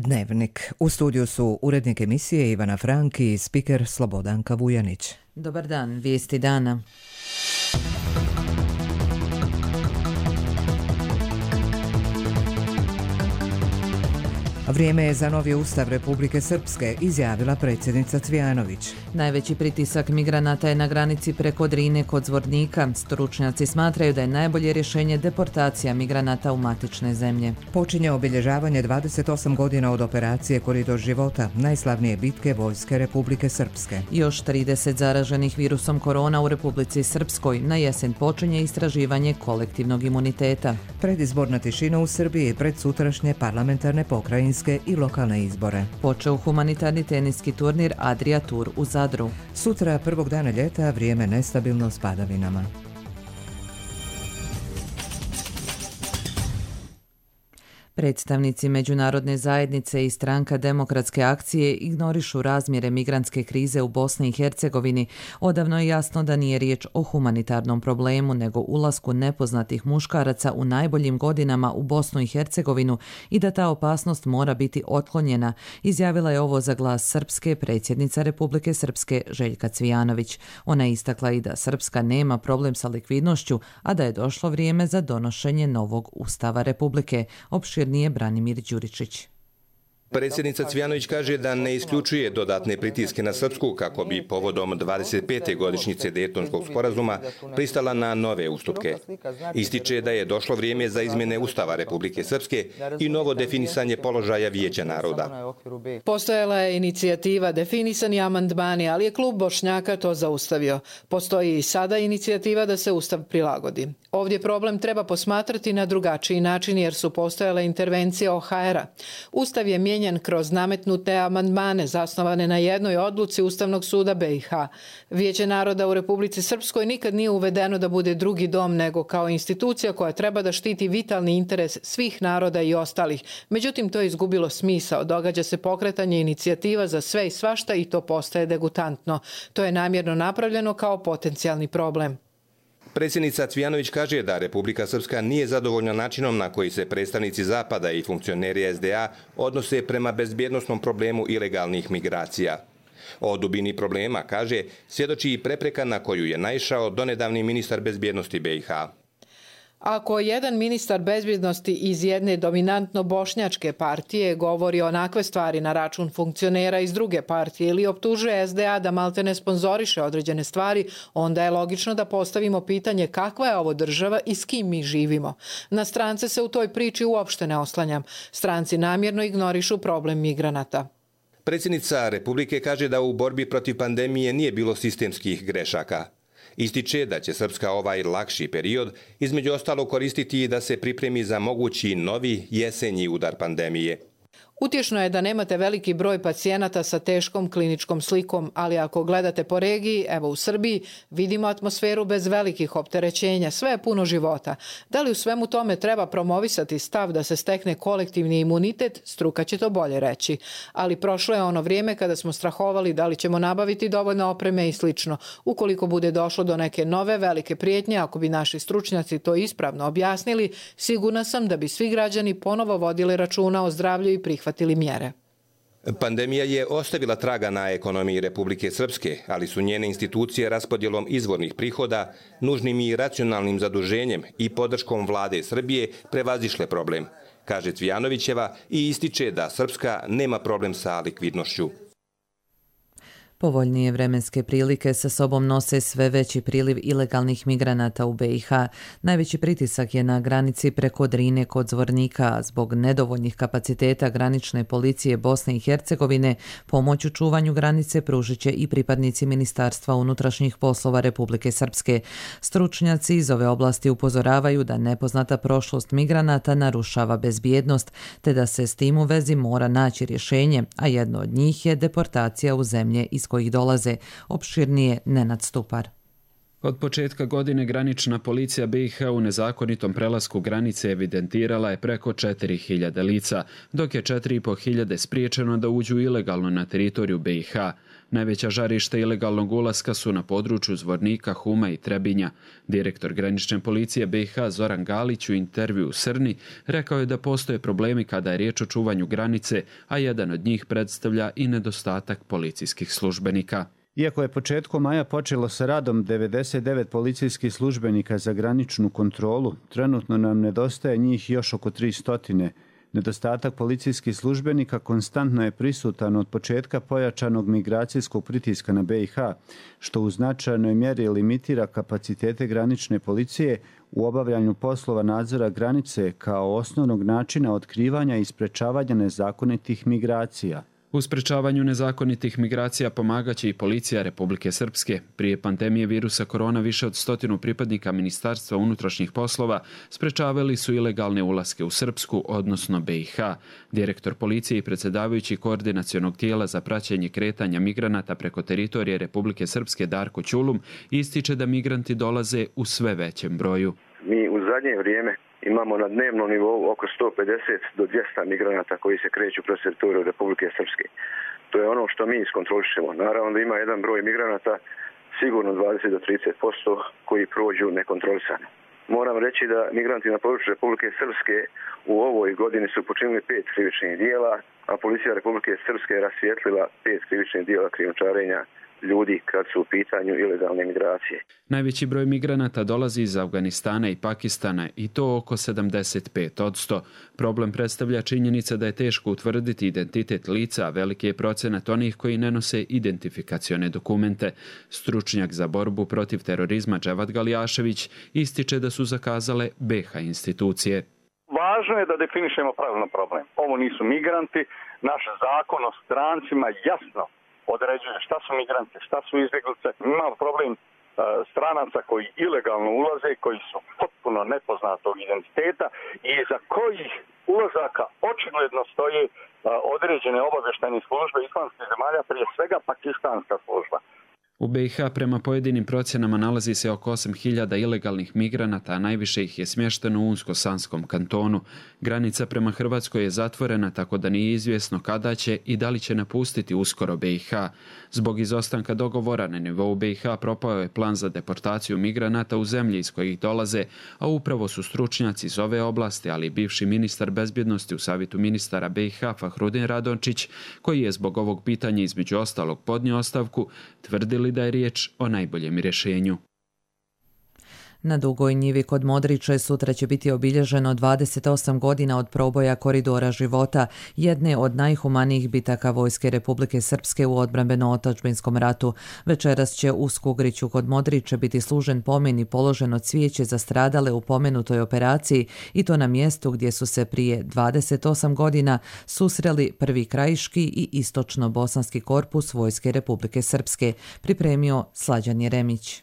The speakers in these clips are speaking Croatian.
Dnevnik. U studiju su urednik emisije Ivana Franki i spiker Slobodanka Vujanić. Dobar dan, vijesti dana. Vrijeme je za novi ustav Republike Srpske, izjavila predsjednica Cvijanović. Najveći pritisak migranata je na granici preko Drine kod Zvornika. Stručnjaci smatraju da je najbolje rješenje deportacija migranata u matične zemlje. Počinje obilježavanje 28 godina od operacije Koridor života, najslavnije bitke Vojske Republike Srpske. Još 30 zaraženih virusom korona u Republici Srpskoj. Na jesen počinje istraživanje kolektivnog imuniteta. Predizborna tišina u Srbiji pred sutrašnje parlamentarne pokrajinske i lokalne izbore. Počeo humanitarni teniski turnir Adria Tour u Zadru. Sutra, prvog dana ljeta, vrijeme nestabilno s padavinama. Predstavnici međunarodne zajednice i stranka Demokratske akcije ignorišu razmjere migrantske krize u Bosni i Hercegovini. Odavno je jasno da nije riječ o humanitarnom problemu, nego ulasku nepoznatih muškaraca u najboljim godinama u Bosnu i Hercegovinu i da ta opasnost mora biti otklonjena, izjavila je ovo za Glas Srpske predsjednica Republike Srpske Željka Cvijanović. Ona je istakla i da Srpska nema problem sa likvidnošću, a da je došlo vrijeme za donošenje novog ustava Republike. Nije Branimir Đuričić. Predsjednica Cvijanović kaže da ne isključuje dodatne pritiske na Srpsku kako bi povodom 25. godišnjice Dejtonskog sporazuma pristala na nove ustupke. Ističe da je došlo vrijeme za izmjene Ustava Republike Srpske i novo definisanje položaja Vijeća naroda. Postojala je inicijativa definisani amandmani, ali je klub Bošnjaka to zaustavio. Postoji i sada inicijativa da se Ustav prilagodi. Ovdje problem treba posmatrati na drugačiji način jer su postojale intervencije OHR-a. Ustav je mijenjan kroz nametnute amandmane zasnovane na jednoj odluci Ustavnog suda BiH. Vijeće naroda u Republici Srpskoj nikad nije uvedeno da bude drugi dom nego kao institucija koja treba da štiti vitalni interes svih naroda i ostalih. Međutim, to je izgubilo smisao. Događa se pokretanje inicijativa za sve i svašta i to postaje degutantno. To je namjerno napravljeno kao potencijalni problem. Predsjednica Cvijanović kaže da Republika Srpska nije zadovoljna načinom na koji se predstavnici Zapada i funkcioneri SDA odnose prema bezbjednosnom problemu ilegalnih migracija. O dubini problema, kaže, svjedoči i prepreka na koju je naišao donedavni ministar bezbjednosti BiH. Ako jedan ministar bezbjednosti iz jedne dominantno bošnjačke partije govori onakve stvari na račun funkcionera iz druge partije ili optužuje SDA da maltene sponzoriše određene stvari, onda je logično da postavimo pitanje kakva je ovo država i s kim mi živimo. Na strance se u toj priči uopšte ne oslanjam. Stranci namjerno ignorišu problem migranata. Predsjednica Republike kaže da u borbi protiv pandemije nije bilo sistemskih grešaka. Ističe da će Srpska ovaj lakši period između ostalog koristiti i da se pripremi za mogući novi jesenji udar pandemije. Utješno je da nemate veliki broj pacijenata sa teškom kliničkom slikom, ali ako gledate po regiji, evo u Srbiji, vidimo atmosferu bez velikih opterećenja, sve je puno života. Da li u svemu tome treba promovisati stav da se stekne kolektivni imunitet, struka će to bolje reći. Ali prošlo je ono vrijeme kada smo strahovali da li ćemo nabaviti dovoljno opreme i slično. Ukoliko bude došlo do neke nove velike prijetnje, ako bi naši stručnjaci to ispravno objasnili, sigurna sam da bi svi građani ponovo vodili računa o zdravlju i prihvatili mjere. Pandemija je ostavila traga na ekonomiji Republike Srpske, ali su njene institucije raspodjelom izvornih prihoda, nužnim i racionalnim zaduženjem i podrškom vlade Srbije prevazišle problem, kaže Cvijanovićeva i ističe da Srpska nema problem sa likvidnošću. Povoljnije vremenske prilike sa sobom nose sve veći priliv ilegalnih migranata u BiH. Najveći pritisak je na granici preko Drine kod Zvornika. Zbog nedovoljnih kapaciteta granične policije Bosne i Hercegovine, pomoć u čuvanju granice pružit će i pripadnici Ministarstva unutrašnjih poslova Republike Srpske. Stručnjaci iz ove oblasti upozoravaju da nepoznata prošlost migranata narušava bezbjednost, te da se s tim u vezi mora naći rješenje, a jedno od njih je deportacija u zemlje iz kojih dolaze. Opširnije Nenad Stupar. Od početka godine granična policija BiH u nezakonitom prelasku granice evidentirala je preko 4.000 lica, dok je 4.500 spriječeno da uđu ilegalno na teritoriju BiH. Najveća žarišta ilegalnog ulaska su na području Zvornika, Huma i Trebinja. Direktor granične policije BiH Zoran Galić u intervju u Srni rekao je da postoje problemi kada je riječ o čuvanju granice, a jedan od njih predstavlja i nedostatak policijskih službenika. Iako je početkom maja počelo sa radom 99 policijskih službenika za graničnu kontrolu, trenutno nam nedostaje njih još oko 300. Nedostatak policijskih službenika konstantno je prisutan od početka pojačanog migracijskog pritiska na BiH, što u značajnoj mjeri limitira kapacitete granične policije u obavljanju poslova nadzora granice kao osnovnog načina otkrivanja i sprečavanja nezakonitih migracija. U sprečavanju nezakonitih migracija pomagaće i policija Republike Srpske. Prije pandemije virusa korona više od 100 pripadnika Ministarstva unutrašnjih poslova sprečavali su ilegalne ulaske u Srpsku, odnosno BiH. Direktor policije i predsjedavajući koordinacionog tijela za praćenje kretanja migranata preko teritorije Republike Srpske Darko Ćulum ističe da migranti dolaze u sve većem broju. Mi u zadnje vrijeme imamo na dnevnom nivou oko 150 do 200 migranata koji se kreću kroz teritoriju Republike Srpske. To je ono što mi iskontrolišemo. Naravno da ima jedan broj migranata, sigurno 20 do 30% koji prođu nekontrolisano. Moram reći da migranti na području Republike Srpske u ovoj godini su počinili 5 krivičnih dijela, a policija Republike Srpske je rasvijetlila 5 krivičnih dijela krijumčarenja ljudi kad su u pitanju ilegalne migracije. Najveći broj migranata dolazi iz Afganistana i Pakistana i to oko 75%. Problem predstavlja činjenica da je teško utvrditi identitet lica, a veliki je procenat onih koji ne nose identifikacione dokumente. Stručnjak za borbu protiv terorizma Dževad Galijašević ističe da su zakazale BiH institucije. Važno je da definišemo pravilno problem. Ovo nisu migranti, naš zakon o strancima jasno određuje šta su migranti, šta su izbjeglice. Imamo problem stranaca koji ilegalno ulaze, koji su potpuno nepoznatog identiteta i za kojih ulazaka očigledno stoje određene obavještajne službe islamskih zemalja, prije svega pakistanska služba. U BiH prema pojedinim procjenama nalazi se oko 8.000 ilegalnih migranata, a najviše ih je smješteno u Unsko-Sanskom kantonu. Granica prema Hrvatskoj je zatvorena, tako da nije izvjesno kada će i da li će napustiti uskoro BiH. Zbog izostanka dogovora na nivou BiH propao je plan za deportaciju migranata u zemlji iz kojih dolaze, a upravo su stručnjaci iz ove oblasti, ali i bivši ministar bezbjednosti u Savjetu ministara BiH Fahrudin Radončić, koji je zbog ovog pitanja između ostalog podnio ostavku, tvrdili da je riječ o najboljem rješenju. Na Dugoj njivi kod Modriče sutra će biti obilježeno 28 godina od proboja Koridora života, jedne od najhumanijih bitaka Vojske Republike Srpske u odbrambeno-otadžbinskom ratu. Večeras će u Skugriću kod Modriče biti služen pomen i položeno cvijeće za stradale u pomenutoj operaciji i to na mjestu gdje su se prije 28 godina susreli prvi krajiški i istočno-bosanski korpus Vojske Republike Srpske, pripremio Slađan Jeremić.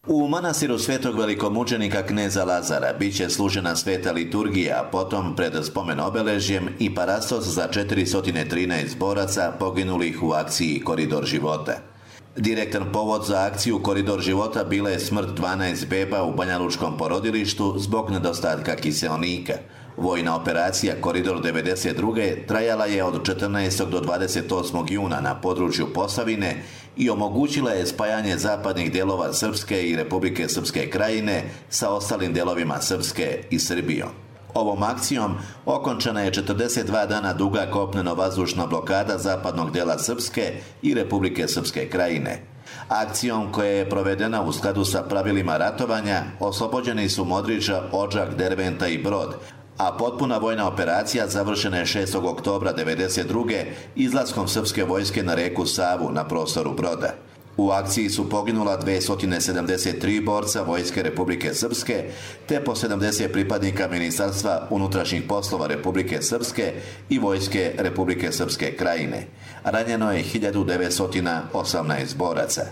U manastiru svetog velikomučenika kneza Lazara bit će služena sveta liturgija, potom pred spomen obeležjem i parastos za 413 boraca poginulih u akciji Koridor života. Direktan povod za akciju Koridor života bila je smrt 12 beba u banjalučkom porodilištu zbog nedostatka kiseonika. Vojna operacija Koridor 92. trajala je od 14. do 28. juna na području Posavine i omogućila je spajanje zapadnih dijelova Srpske i Republike Srpske krajine sa ostalim dijelovima Srpske i Srbijom. Ovom akcijom okončana je 42 dana duga kopneno-vazdušna blokada zapadnog dijela Srpske i Republike Srpske krajine. Akcijom koja je provedena u skladu sa pravilima ratovanja oslobođeni su Modriča, Odžak, Derventa i Brod, a potpuna vojna operacija završena je 6. oktobra 1992. izlaskom srpske vojske na reku Savu na prostoru Broda. U akciji su poginula 273 borca Vojske Republike Srpske, te po 70 pripadnika Ministarstva unutrašnjih poslova Republike Srpske i Vojske Republike Srpske krajine. Ranjeno je 1918 boraca.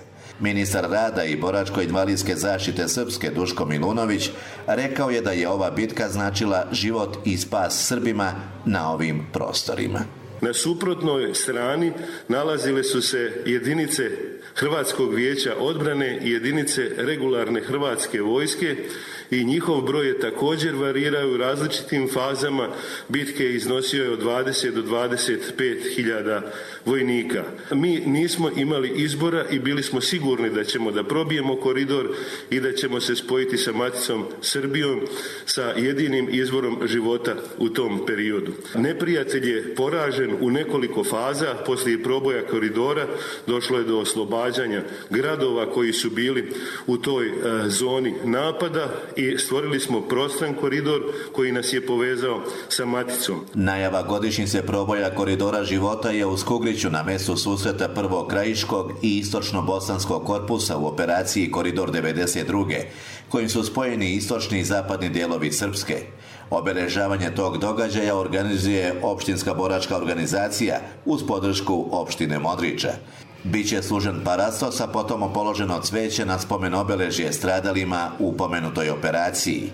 Ministar rada i boračko-invalidske zaštite Srpske Duško Milunović rekao je da je ova bitka značila život i spas Srbima na ovim prostorima. Na suprotnoj strani nalazile su se jedinice Hrvatskog vijeća odbrane i jedinice regularne hrvatske vojske i njihov broj je također varirao u različitim fazama bitke, iznosio je od 20 do 25 hiljada vojnika. Mi nismo imali izbora i bili smo sigurni da probijemo koridor i da ćemo se spojiti sa maticom Srbijom, sa jedinim izvorom života u tom periodu. Neprijatelj je poražen u nekoliko faza. Poslije proboja koridora došlo je do oslobađanja gradova koji su bili u toj zoni napada i stvorili smo prostran koridor koji nas je povezao sa maticom. Najava godišnjice proboja koridora života je u Skugriću na mjestu susreta prvog krajiškog i istočno-bosanskog korpusa u operaciji Koridor 92. kojim su spojeni istočni i zapadni dijelovi Srpske. Obeležavanje tog događaja organizuje opštinska boračka organizacija uz podršku opštine Modriča. Biće služen parastos, a potom položeno cveće na spomen obeležje stradalima u pomenutoj operaciji.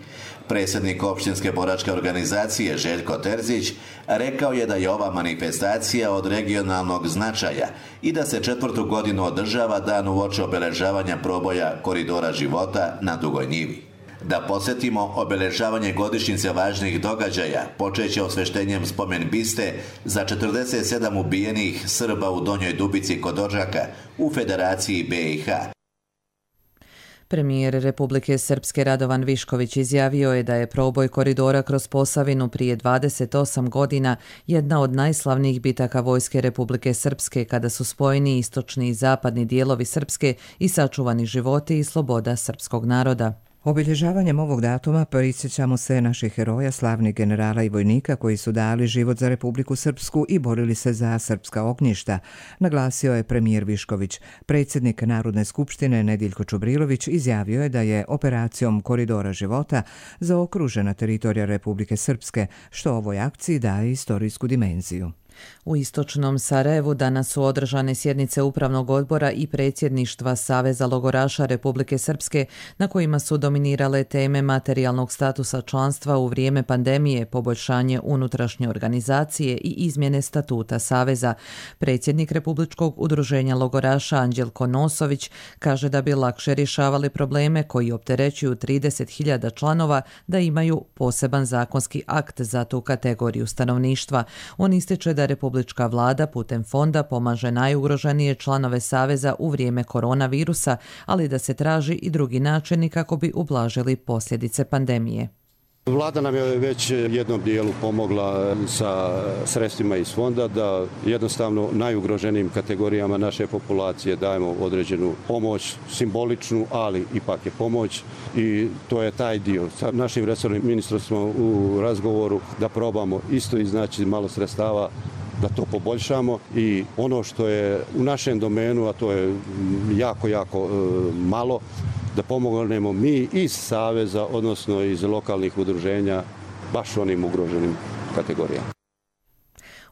Predsjednik opštinske boračke organizacije Željko Terzić rekao je da je ova manifestacija od regionalnog značaja i da se 4. godinu održava dan uoči obeležavanja proboja koridora života na Dugoj Njivi. Da podsjetimo, obeležavanje godišnjice važnih događaja počeće osveštenjem spomen biste za 47 ubijenih Srba u Donjoj Dubici kod Odžaka u Federaciji BiH. Premijer Republike Srpske Radovan Višković izjavio je da je proboj koridora kroz Posavinu prije 28 godina jedna od najslavnijih bitaka Vojske Republike Srpske kada su spojeni istočni i zapadni dijelovi Srpske i sačuvani životi i sloboda srpskog naroda. Obilježavanjem ovog datuma prisjećamo se naših heroja, slavnih generala i vojnika koji su dali život za Republiku Srpsku i borili se za srpska ognjišta, naglasio je premijer Višković. Predsjednik Narodne skupštine Nediljko Čubrilović izjavio je da je operacijom Koridora života zaokružena teritorija Republike Srpske, što ovoj akciji daje istorijsku dimenziju. U istočnom Sarajevu danas su održane sjednice Upravnog odbora i predsjedništva Saveza logoraša Republike Srpske, na kojima su dominirale teme materijalnog statusa članstva u vrijeme pandemije, poboljšanje unutrašnje organizacije i izmjene statuta Saveza. Predsjednik Republičkog udruženja logoraša Anđelko Nosović kaže da bi lakše rješavali probleme koji opterećuju 30.000 članova da imaju poseban zakonski akt za tu kategoriju stanovništva. On ističe da Republička vlada putem fonda pomaže najugroženije članove Saveza u vrijeme koronavirusa, ali da se traži i drugi načini kako bi ublažili posljedice pandemije. Vlada nam je već jednom dijelu pomogla sa sredstvima iz fonda da jednostavno najugroženijim kategorijama naše populacije dajemo određenu pomoć, simboličnu, ali ipak je pomoć i to je taj dio. Sa našim resornim ministrom smo u razgovoru da probamo isto iznaći malo sredstava da to poboljšamo i ono što je u našem domenu, a to je jako malo, da pomognemo mi iz Saveza, odnosno iz lokalnih udruženja, baš onim ugroženim kategorijama.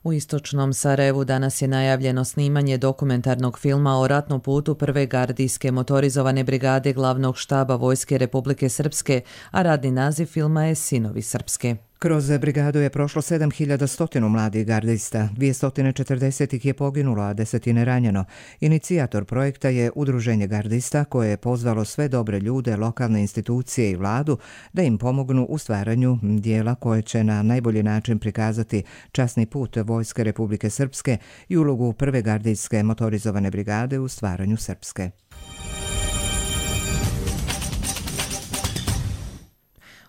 U istočnom Sarajevu danas je najavljeno snimanje dokumentarnog filma o ratnom putu prve gardijske motorizovane brigade glavnog štaba Vojske Republike Srpske, a radni naziv filma je Sinovi Srpske. Kroz brigadu je prošlo 7100 mladih gardista, 240 ih je poginulo, a 10 ranjeno. Inicijator projekta je Udruženje gardista koje je pozvalo sve dobre ljude, lokalne institucije i vladu da im pomognu u stvaranju dijela koje će na najbolji način prikazati časni put Vojske Republike Srpske i ulogu prve gardijske motorizovane brigade u stvaranju Srpske.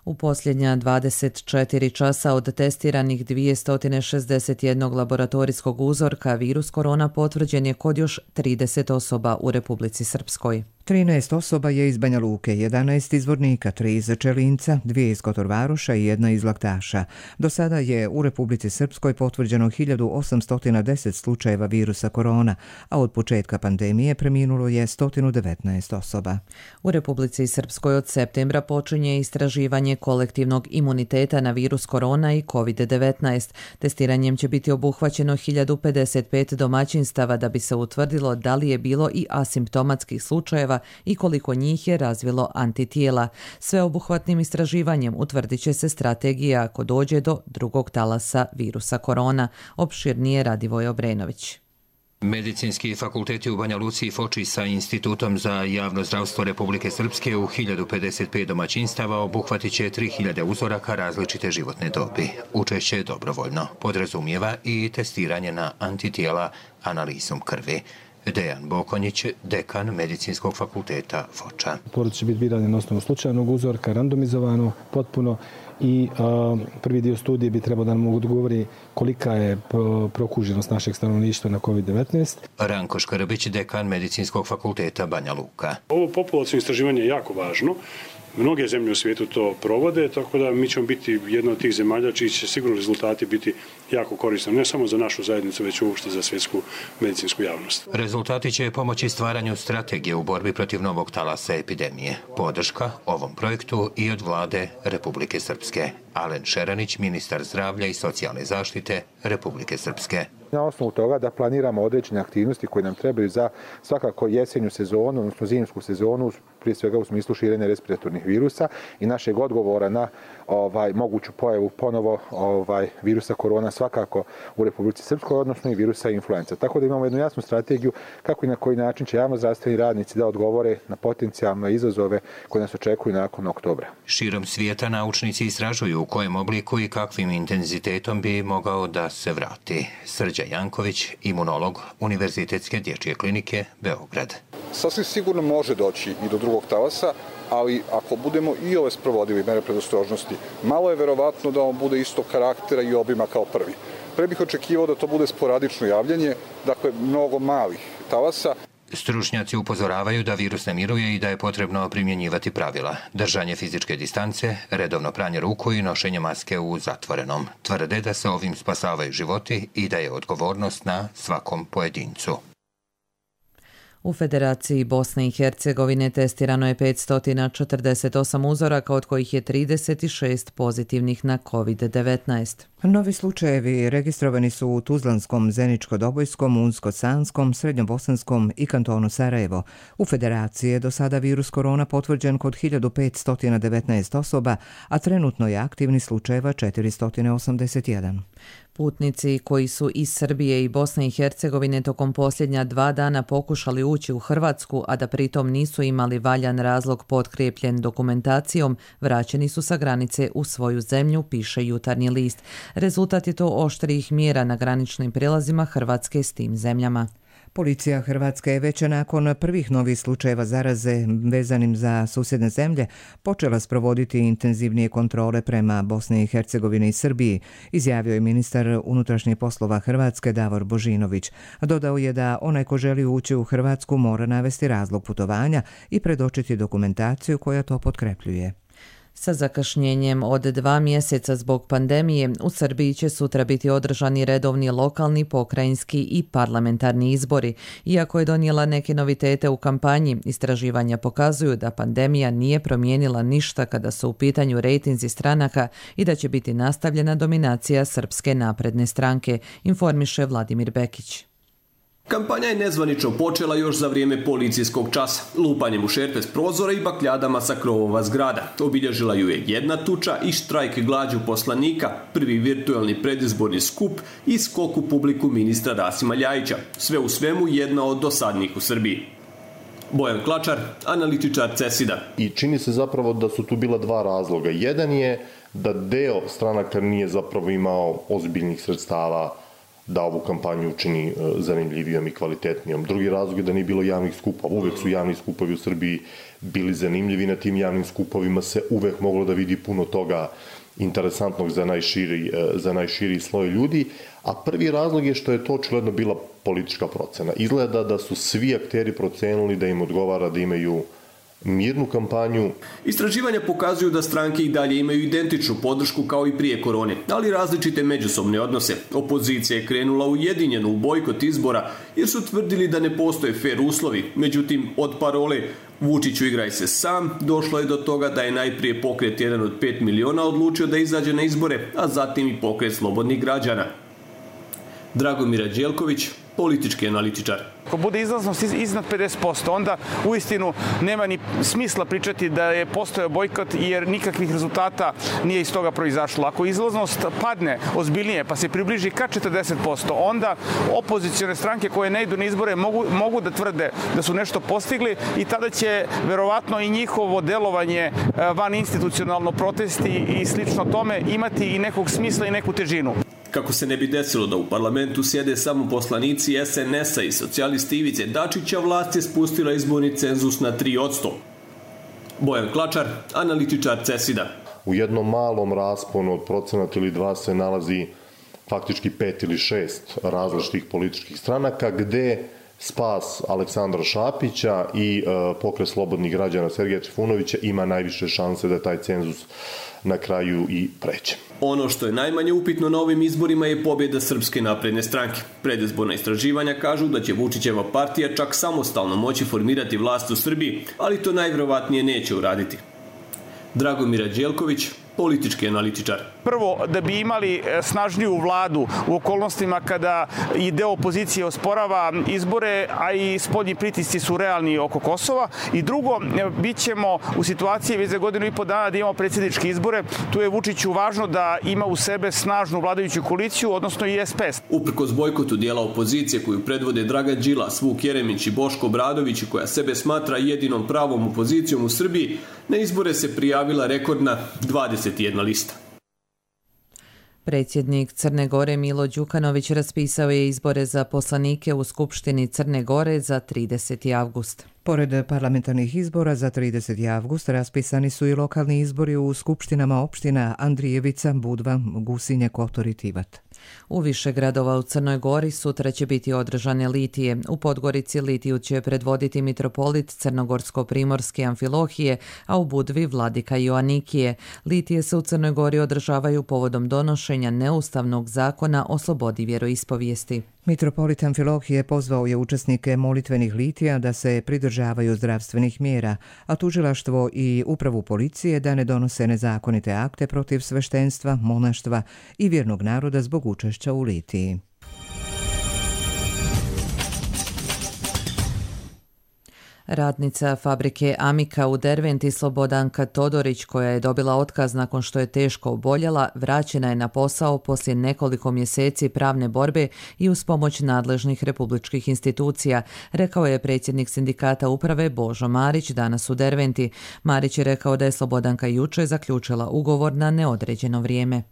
U posljednja 24 časa od testiranih 261 laboratorijskog uzorka virus korona potvrđen je kod još 30 osoba u Republici Srpskoj. 13 osoba je iz Banja Luke, 11 iz Vornika, 3 iz Čelinca, 2 iz Kotorvaroša i 1 iz Laktaša. Do sada je u Republici Srpskoj potvrđeno 1810 slučajeva virusa korona, a od početka pandemije preminulo je 119 osoba. U Republici Srpskoj od septembra počinje istraživanje kolektivnog imuniteta na virus korona i COVID-19. Testiranjem će biti obuhvaćeno 1055 domaćinstava da bi se utvrdilo da li je bilo i asimptomatskih slučajeva i koliko njih je razvilo antitijela. Sveobuhvatnim istraživanjem utvrdit će se strategija ako dođe do drugog talasa virusa korona. Opširnije Radivoj Obrenović. Medicinski fakulteti u Banja Luci i Foči sa Institutom za javno zdravstvo Republike Srpske u 1055 domaćinstava obuhvatit će 3000 uzoraka različite životne dobi. Učešće je dobrovoljno. Podrazumijeva i testiranje na antitijela analizom krvi. Dejan Bokonjić, dekan Medicinskog fakulteta Foča. Porod će biti birane na osnovu slučajnog uzorka, randomizovano, potpuno, i prvi dio studije bi trebao da nam odgovori kolika je prokuženost našeg stanovništva na COVID-19. Ranko Škrbić, dekan Medicinskog fakulteta Banja Luka. Ovo populacijno istraživanje je jako važno. Mnoge zemlje u svijetu to provode, tako da mi ćemo biti jedna od tih zemalja čiji će sigurno rezultati biti jako korisni, ne samo za našu zajednicu, već uopšte za svjetsku medicinsku javnost. Rezultati će pomoći stvaranju strategije u borbi protiv novog talasa epidemije. Podrška ovom projektu i od vlade Republike Srpske. Alen Šeranić, ministar zdravlja i socijalne zaštite Republike Srpske. Na osnovu toga da planiramo određene aktivnosti koje nam trebaju za svakako jesenju sezonu, odnosno zimsku sezonu, prije svega u smislu širenja respiratornih virusa i našeg odgovora na moguću pojavu ponovo virusa korona svakako u Republici Srpskoj, odnosno i virusa influenza. Tako da imamo jednu jasnu strategiju kako i na koji način će javnozdravstveni radnici da odgovore na potencijalne izazove koje nas očekuju nakon oktobra. Širom svijeta naučnici istražuju u kojem obliku i kakvim intenzitetom bi mogao da se vrati. Srđan Janković, imunolog Univerzitetske dječje klinike Beograd. Sasvim sigurno može doći i do drugog talasa, ali ako budemo i ove sprovodili mere predostrožnosti, malo je verovatno da on bude istog karaktera i obima kao prvi. Pre bih očekivao da to bude sporadično javljanje, dakle mnogo malih talasa. Stručnjaci upozoravaju da virus ne miruje i da je potrebno primjenjivati pravila. Držanje fizičke distance, redovno pranje ruku i nošenje maske u zatvorenom. Tvrde da se ovim spasavaju životi i da je odgovornost na svakom pojedincu. U Federaciji Bosne i Hercegovine testirano je 548 uzoraka, od kojih je 36 pozitivnih na COVID-19. Novi slučajevi registrovani su u Tuzlanskom, Zeničko-Dobojskom, Unsko-Sanskom, Srednjobosanskom i kantonu Sarajevo. U Federaciji je do sada virus korona potvrđen kod 1519 osoba, a trenutno je aktivni slučajeva 481. Putnici koji su iz Srbije i Bosne i Hercegovine tokom posljednja 2 dana pokušali ući u Hrvatsku, a da pritom nisu imali valjan razlog potkrijepljen dokumentacijom, vraćeni su sa granice u svoju zemlju, piše Jutarnji list. Rezultat je to oštrijih mjera na graničnim prijelazima Hrvatske s tim zemljama. Policija Hrvatske je već nakon prvih novih slučajeva zaraze vezanim za susjedne zemlje počela sprovoditi intenzivnije kontrole prema Bosni i Hercegovini i Srbiji, izjavio je ministar unutrašnjih poslova Hrvatske Davor Božinović. Dodao je da onaj ko želi ući u Hrvatsku mora navesti razlog putovanja i predočiti dokumentaciju koja to potkrepljuje. Sa zakašnjenjem od 2 mjeseca zbog pandemije, u Srbiji će sutra biti održani redovni lokalni, pokrajinski i parlamentarni izbori. Iako je donijela neke novitete u kampanji, istraživanja pokazuju da pandemija nije promijenila ništa kada su u pitanju rejtinzi stranaka i da će biti nastavljena dominacija Srpske napredne stranke, informiše Vladimir Bekić. Kampanja je nezvanično počela još za vrijeme policijskog časa, lupanjem u šerpe s prozora i bakljadama sa krovova zgrada. Obilježila ju je jedna tuča i štrajk glađu poslanika, prvi virtualni predizborni skup i skok u publiku ministra Rasima Ljajića. Sve u svemu jedna od dosadnijih u Srbiji. Bojan Klačar, analitičar CESID-a. I čini se zapravo da su tu bila 2 razloga. Jedan je da deo stranaka nije zapravo imao ozbiljnih sredstava da ovu kampanju učini zanimljivijom i kvalitetnijom. Drugi razlog je da nije bilo javnih skupova. Uvek su javni skupovi u Srbiji bili zanimljivi. Na tim javnim skupovima se uvek moglo da vidi puno toga interesantnog za najširi sloj ljudi. A prvi razlog je što je to očigledno bila politička procena. Izgleda da su svi akteri procenili da im odgovara da imaju mirnu kampanju. Istraživanja pokazuju da stranke i dalje imaju identičnu podršku kao i prije korone, ali različite međusobne odnose. Opozicija je krenula ujedinjeno u bojkot izbora jer su tvrdili da ne postoje fer uslovi. Međutim, od parole Vučiću igraj se sam, došlo je do toga da je najprije pokret jedan od 5 miliona odlučio da izađe na izbore, a zatim i pokret slobodnih građana. Dragomir Đelković, politički analitičar. Ako bude izlaznost iznad 50%, onda uistinu nema ni smisla pričati da je postojao bojkot jer nikakvih rezultata nije iz toga proizašlo. Ako izlaznost padne ozbiljnije pa se približi ka 40%, onda opozicione stranke koje ne idu na izbore mogu da tvrde da su nešto postigli i tada će verovatno i njihovo delovanje van institucionalno, protesti i slično tome imati i nekog smisla i neku težinu. Kako se ne bi desilo da u parlamentu sjede samo poslanici SNS-a i socijalisti Ivice Dačića, vlast je spustila izborni cenzus na 3%. Bojan Klačar, analitičar CESID-a. U jednom malom rasponu od procenata ili 2 se nalazi faktički 5 ili 6 različitih političkih stranaka gde spas Aleksandra Šapića i Pokret slobodnih građana Sergeja Trifunovića ima najviše šanse da taj cenzus na kraju i pređe. Ono što je najmanje upitno na ovim izborima je pobjeda Srpske napredne stranke. Predizborna istraživanja kažu da će Vučićeva partija čak samostalno moći formirati vlast u Srbiji, ali to najvjerovatnije neće uraditi. Dragomir Đelković, politički analitičar. Prvo, da bi imali snažniju vladu u okolnostima kada i deo opozicije osporava izbore, a i spoljni pritisci su realni oko Kosova. I drugo, bit ćemo u situaciji već za 1,5 dana da imamo predsjedničke izbore. Tu je Vučiću važno da ima u sebe snažnu vladajuću koaliciju, odnosno i SPS. Uprkos bojkotu dijela opozicije koju predvode Dragan Đilas, Vuk Jeremić i Boško Obradović, koja sebe smatra jedinom pravom opozicijom u Srbiji, na izbore se prijavila rekordna 21 lista. Predsjednik Crne Gore Milo Đukanović raspisao je izbore za poslanike u Skupštini Crne Gore za 30. avgust. Pored parlamentarnih izbora za 30. avgust raspisani su i lokalni izbori u skupštinama opština Andrijevica, Budva, Gusinje, Kotor i Tivat. U više gradova u Crnoj Gori sutra će biti održane litije. U Podgorici litiju će predvoditi mitropolit Crnogorsko-primorske Amfilohije, a u Budvi Vladika Joanikije. Litije se u Crnoj Gori održavaju povodom donošenja neustavnog zakona o slobodi vjeroispovijesti. Mitropolit Amfilohije pozvao je učesnike molitvenih litija da se pridržavaju zdravstvenih mjera, a tužilaštvo i upravu policije da ne donose nezakonite akte protiv sveštenstva, monaštva i vjernog naroda zbog učešća u litiji. Radnica fabrike Amika u Derventi Slobodanka Todorić, koja je dobila otkaz nakon što je teško oboljela, vraćena je na posao poslije nekoliko mjeseci pravne borbe i uz pomoć nadležnih republičkih institucija, rekao je predsjednik sindikata uprave Božo Marić danas u Derventi. Marić je rekao da je Slobodanka jučer zaključila ugovor na neodređeno vrijeme.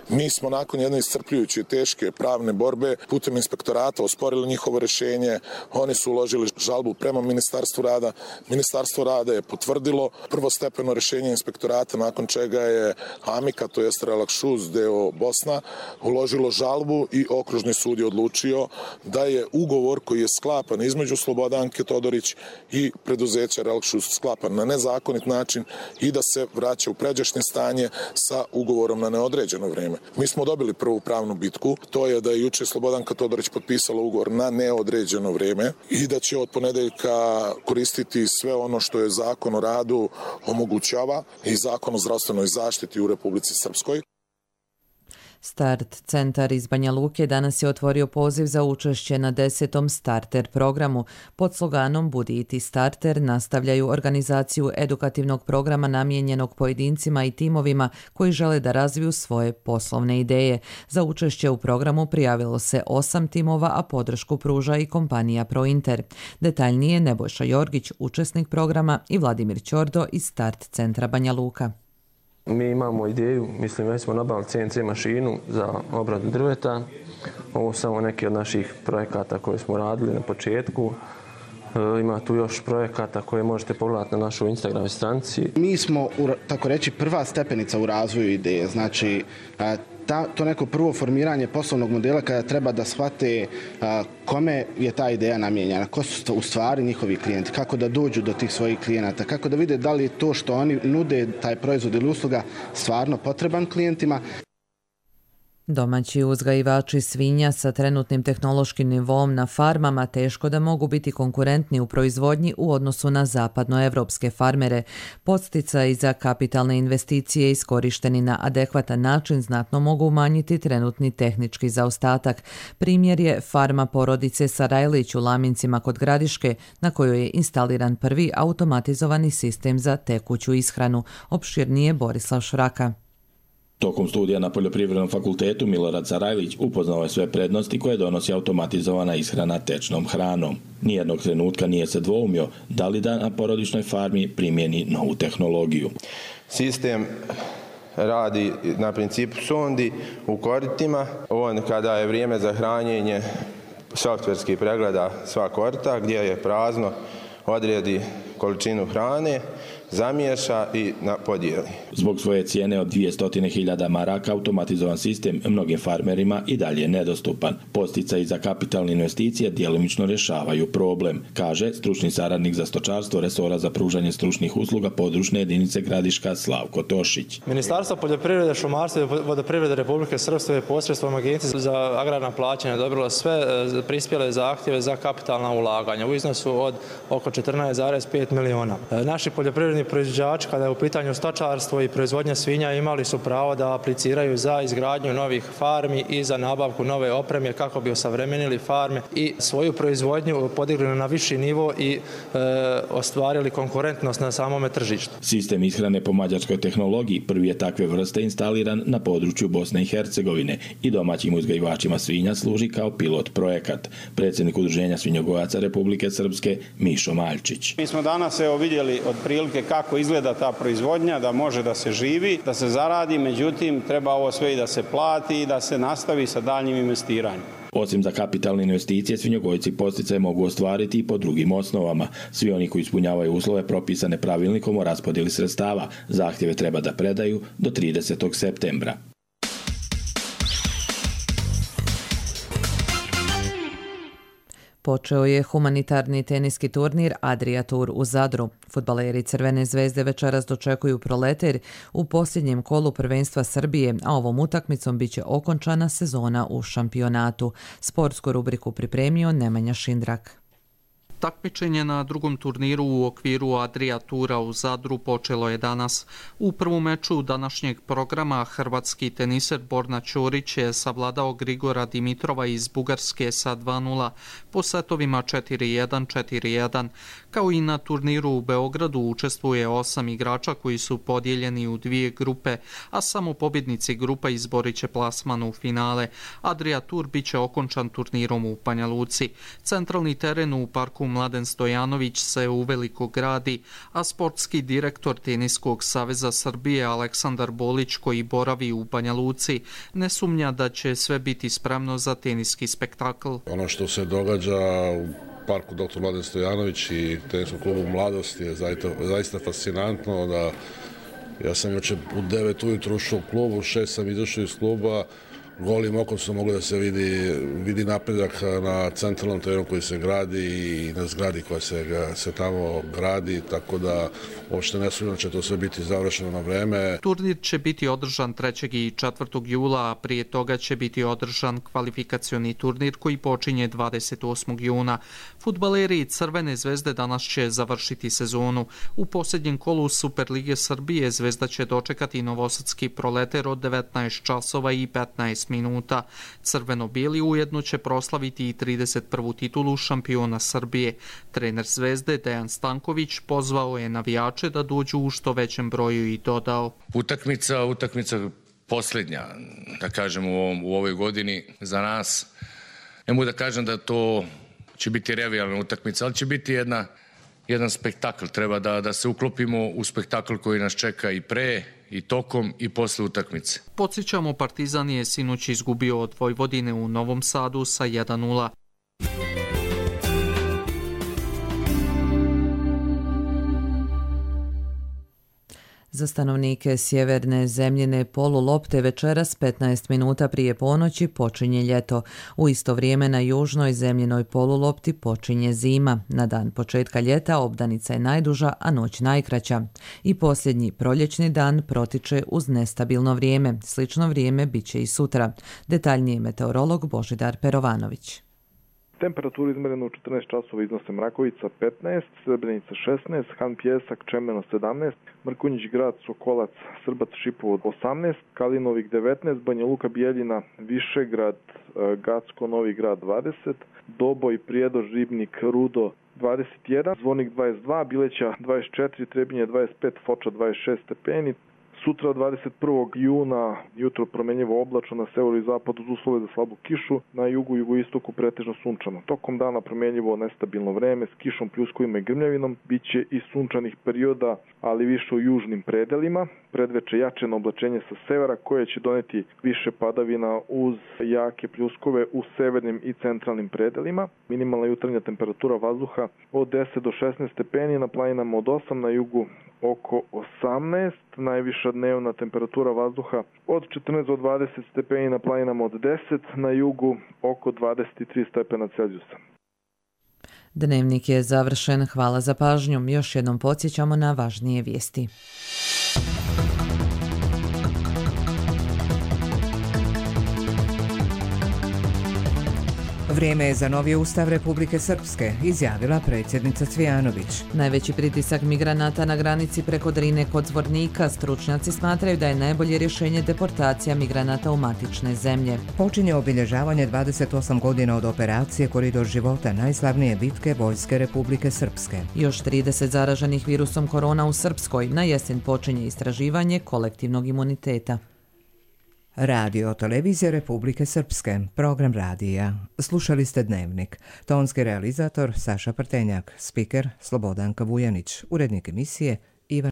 Mi smo nakon jedne iscrpljujuće teške pravne borbe putem inspektorata osporili njihovo rješenje. Oni su uložili žalbu prema Ministarstvu rada. Ministarstvo rada je potvrdilo prvostepeno rješenje inspektorata, nakon čega je Amika, to jest Relakšuz deo Bosna, uložilo žalbu i okružni sud je odlučio da je ugovor koji je sklapan između Slobodanke Todorić i preduzeća Relakšuz sklapan na nezakonit način i da se vraća u pređašnje stanje sa ugovorom na neodređeno vrijeme. Mi smo dobili prvu pravnu bitku, to je da je juče Slobodanka Todorić potpisala ugovor na neodređeno vrijeme i da će od ponedeljka koristiti sve ono što je Zakon o radu omogućava i Zakon o zdravstvenoj zaštiti u Republici Srpskoj. Start centar iz Banja Luke danas je otvorio poziv za učešće na 10. starter programu. Pod sloganom Budi i ti starter nastavljaju organizaciju edukativnog programa namijenjenog pojedincima i timovima koji žele da razviju svoje poslovne ideje. Za učešće u programu prijavilo se 8 timova, a podršku pruža i kompanija Prointer. Detaljnije Nebojša Jorgić, učesnik programa, i Vladimir Ćordo iz Start centra Banja Luka. Mi imamo ideju, već smo nabavili CNC mašinu za obradu drveta. Ovo su samo neki od naših projekata koje smo radili na početku. Ima tu još projekata koje možete pogledati na našoj Instagram stranici. Mi smo, tako reći, prva stepenica u razvoju ideje. Znači, to neko prvo formiranje poslovnog modela kada treba da shvate kome je ta ideja namijenjena, ko su u stvari njihovi klijenti, kako da dođu do tih svojih klijenata, kako da vide da li je to što oni nude, taj proizvod ili usluga, stvarno potreban klijentima. Domaći uzgajivači svinja sa trenutnim tehnološkim nivom na farmama teško da mogu biti konkurentni u proizvodnji u odnosu na zapadnoevropske farmere. Podsticaji za kapitalne investicije iskorišteni na adekvatan način znatno mogu umanjiti trenutni tehnički zaostatak. Primjer je farma porodice Sarajlić u Lamincima kod Gradiške, na kojoj je instaliran prvi automatizovani sistem za tekuću ishranu. Opširnije Borislav Šraka. Tokom studija na Poljoprivrednom fakultetu Milorad Sarajlić upoznao je sve prednosti koje donosi automatizovana ishrana tečnom hranom. Nijednog trenutka nije se dvoumio da li da na porodičnoj farmi primjeni novu tehnologiju. Sistem radi na principu sondi u koritima. On kada je vrijeme za hranjenje softverski pregleda sva korita gdje je prazno, odredi količinu hrane, zamiješa i podijeli. Zbog svoje cijene od 200.000 maraka automatizovan sistem mnogim farmerima i dalje je nedostupan. Podsticaji za kapitalne investicije djelomično rješavaju problem, kaže stručni saradnik za stočarstvo resora za pružanje stručnih usluga područne jedinice Gradiška Slavko Tošić. Ministarstvo poljoprivrede, šumarstva i vodoprivrede Republike Srpske je posredstvom Agencije za agrarna plaćanja odobrilo sve prispjele zahtjeve za kapitalna ulaganja u iznosu od oko 14,5 miliona. Naši poljoprivredni proizvođači, kada je u pitanju stočarstvo i proizvodnja svinja, imali su pravo da apliciraju za izgradnju novih farmi i za nabavku nove opreme kako bi osavremenili farme i svoju proizvodnju podigli na viši nivo i ostvarili konkurentnost na samome tržištu. Sistem ishrane po mađarskoj tehnologiji prvi je takve vrste instaliran na području Bosne i Hercegovine i domaćim uzgajivačima svinja služi kao pilot projekat. Predsjednik Udruženja svinjogojaca Republike Srpske Mišo Maljčić. Mi smo danas vidjeli otprilike kako izgleda ta proizvodnja, da može da se živi, da se zaradi, međutim treba ovo sve i da se plati i da se nastavi sa daljnjim investiranjem. Osim za kapitalne investicije, svinjogojci podsticaje mogu ostvariti i po drugim osnovama. Svi oni koji ispunjavaju uslove propisane pravilnikom o raspodjeli sredstava, zahtjeve treba da predaju do 30. septembra. Počeo je humanitarni teniski turnir Adria Tour u Zadru. Fudbaleri Crvene zvezde večeras dočekuju Proleter u posljednjem kolu prvenstva Srbije, a ovom utakmicom biće okončana sezona u šampionatu. Sportsku rubriku pripremio Nemanja Šindrak. Takmičenje na drugom turniru u okviru Adria Tura u Zadru počelo je danas. U prvom meču današnjeg programa hrvatski teniser Borna Ćorić je savladao Grigora Dimitrova iz Bugarske sa 2:0 po setovima 4:1, 4:1. Kao i na turniru u Beogradu učestvuje 8 igrača koji su podijeljeni u dvije grupe, a samo pobjednici grupa izborit će plasman u finale. Adria Tour biće okončan turnirom u Banja Luci. Centralni teren u parku Mladen Stojanović se uveliko gradi, a sportski direktor Teniskog saveza Srbije Aleksandar Bolić, koji boravi u Banja Luci, ne sumnja da će sve biti spremno za teniski spektakl. Ono što se događa u parku Dr. Mladen Stojanović i teniskom klubu Mladost je zaista fascinantno. Ja sam jučer u 9 ujutru ušao u klubu, u 6 sam izašao iz kluba. Golim okom su mogli da se vidi napredak na centralnom terenu koji se gradi i na zgradi koja se tamo gradi, tako da uopšte ne sumnjam da će to sve biti završeno na vreme. Turnir će biti održan 3. i 4. jula, a prije toga će biti održan kvalifikacioni turnir koji počinje 28. juna. Fudbaleri Crvene zvezde danas će završiti sezonu. U posljednjem kolu Superlige Srbije Zvezda će dočekati novosadski Proleter od 19 časova i 15 minuta. Crveno-bijeli ujedno će proslaviti i 31. titulu šampiona Srbije. Trener Zvezde Dejan Stanković pozvao je navijače da dođu u što većem broju i dodao: Utakmica posljednja, da kažem, u ovoj godini za nas. Ne mogu da kažem da to će biti revijalna utakmica, ali će biti jedan spektakl. Treba da se uklopimo u spektakl koji nas čeka i pre, i tokom, i posle utakmice. Podsjećamo, Partizan je sinoć izgubio od Vojvodine u Novom Sadu sa 1:0. Za stanovnike sjeverne zemljine polulopte večeras 15 minuta prije ponoći počinje ljeto. U isto vrijeme na južnoj zemljinoj polulopti počinje zima. Na dan početka ljeta obdanica je najduža, a noć najkraća. I posljednji proljećni dan protiče uz nestabilno vrijeme. Slično vrijeme bit će i sutra. Detaljnije meteorolog Božidar Perovanović. Temperaturu izmerenu u 14 časova iznose Mrakovica 15, Srebrenica 16, Han Pjesak, Čemeno 17, Mrkonjić Grad, Sokolac, Srbac, Šipovo 18, Kalinovik 19, Banja Luka, Bijeljina, Višegrad, Gacko, Novi Grad 20, Doboj, Prijedor, Ribnik, Rudo 21, Zvornik 22, Bileća 24, Trebinje 25, Foča 26 stepeni. Sutra 21. juna jutro promenljivo oblačno, na severu i zapadu uz uslove za slabu kišu, na jugu i jugoistoku pretežno sunčano. Tokom dana promenljivo nestabilno vreme s kišom, pljuskovima i grmljavinom, biće i sunčanih perioda, ali više u južnim predelima. Predveče jačeno oblačenje sa severa koje će doneti više padavina uz jake pljuskove u severnim i centralnim predelima. Minimalna jutarnja temperatura vazduha od 10 do 16 stepeni, na planinama od 8, na jugu oko 18, najviša dnevna temperatura vazduha od 14 do 20 stepeni, na planinama od 10, na jugu oko 23 stepena Celzijusa. Dnevnik je završen. Hvala za pažnju. Još jednom podsjećamo na važnije vijesti. Vrijeme je za novi ustav Republike Srpske, izjavila predsjednica Cvijanović. Najveći pritisak migranata na granici preko Drine kod Zvornika. Stručnjaci smatraju da je najbolje rješenje deportacija migranata u matične zemlje. Počinje obilježavanje 28 godina od operacije Koridor života, najslavnije bitke Vojske Republike Srpske. Još 30 zaraženih virusom korona u Srpskoj. Na jesen počinje istraživanje kolektivnog imuniteta. Radio Televizija Republike Srpske, program radija. Slušali ste Dnevnik. Tonski realizator Saša Prtenjak, spiker Slobodanka Vujanić, urednik emisije